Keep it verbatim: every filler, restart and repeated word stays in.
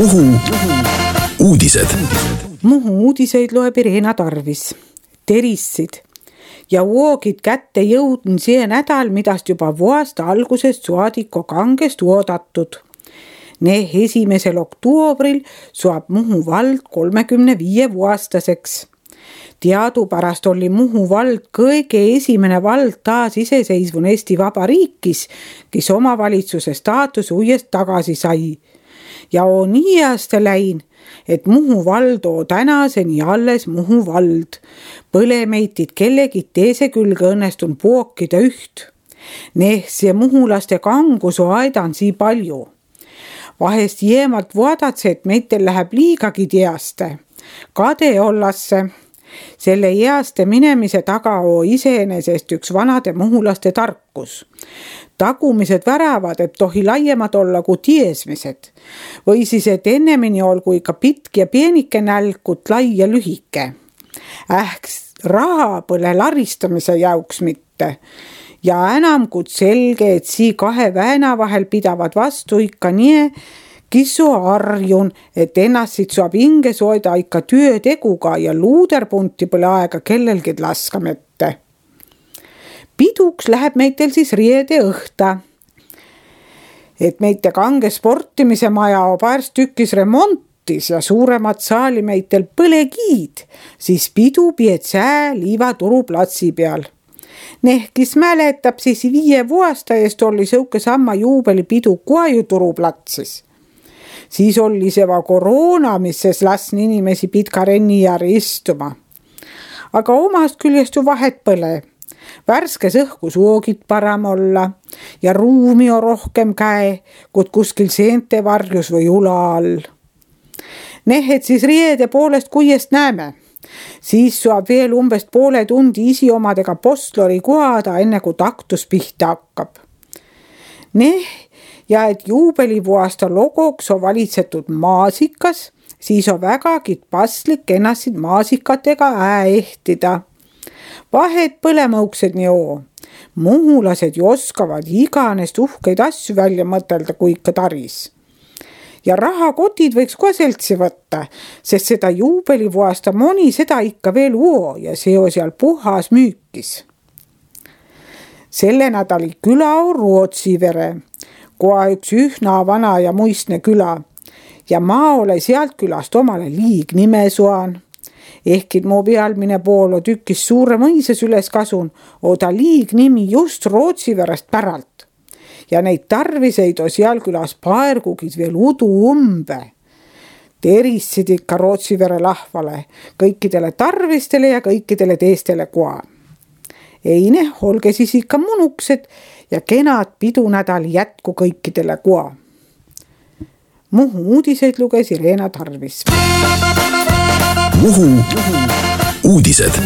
Muhu uudised. Muhu uudiseid loeb Irena Tarvis. Terissid ja uogid kätte jõudn see nädal, midast juba vuosta algusest suadiko kangest oodatud. Ne esimesel oktoobril suab Muhu vald kolmekümne viie vuostaseks. Teadupärast oli Muhu vald kõige esimene vald taas iseseisvun Eesti Vabariikis, kes omavalitsuse staatus uuest tagasi sai. Ja on nii aasta läin, et Muhu vald oo tänaseni alles Muhu vald. Põlemeitid kellegid teise külge õnnestun pookida üht. Neh see muhulaste kangus oo aidan sii palju. Vahest jeemalt vaadatakse, et meitel läheb liigagi teaste. Kade ollasse. Selle easte minemise taga oo iseenesest üks vanade muhulaste tarkus. Tagumised väravad, et tohi laiemad olla kui tiesmised. Või siis, et ennemini olgu ikka pitk ja pienike nälkut lai ja lühike. Ähks raha põle laristamise jauks mitte. Ja enam kui selge, et sii kahe vääna vahel pidavad vastu ikka nii, kisu arjun, et ennast siit saab inge soida ikka tööteguga ja luuderpunti pole aega kellelgi laskamette. Piduks läheb meitel siis riede õhta. Et meite kange sportimise maja on paars tükis remontis ja suuremat saali meitel põlegiid, siis pidu pied sää liivaturu platsi peal. Nehkis mäletab, siis viie vuosta eest oli sõuke samma juubelipidu Kuaju turuplatsis. Siis oli seva koroona, mis ses lasni inimesi pitka rennijaari istuma. Aga omast küljest ju vahet põle. Värskes õhkus oogid param olla ja ruumi on rohkem käe, kui kuskil seente varjus või ula all. Nehed siis riede poolest kuiest näeme. Siis saab veel umbes poole tundi isi omadega postlori kuada, enne kui taktus pihta hakkab. Neh, ja et juubelivuasta logoks on valitsetud maasikas, siis on vägagi paslik ennast maasikatega ää ehtida. Vahet põlemõuksed nii oo. Muhulased ju oskavad iganest uhkeid asju välja mõtelda, kui ikka taris. Ja rahakotid võiks ka seltsi võtta, sest seda juubelivuasta moni seda ikka veel uo ja see on seal puhas müükis. Selle nädali küla on Rootsivere, koha üks ühna vana ja muistne küla. Ja ma ole sealt külast omale liig nime suan. Ehkid mu pealmine pool on tükis suure mõises üles kasun, oo ta liig nimi just Rootsiverest päralt. Ja neid tarviseid on seal külas paergugis veel udu umbe. Terissid ikka Rootsivere lahvale, kõikidele tarvistele ja kõikidele teistele koa. Eine, olge siis ikka munuksed ja kenad pidunädal jätku kõikidele koa. Muhu uudiseid luges Irena Tarvis. Muhu uudised.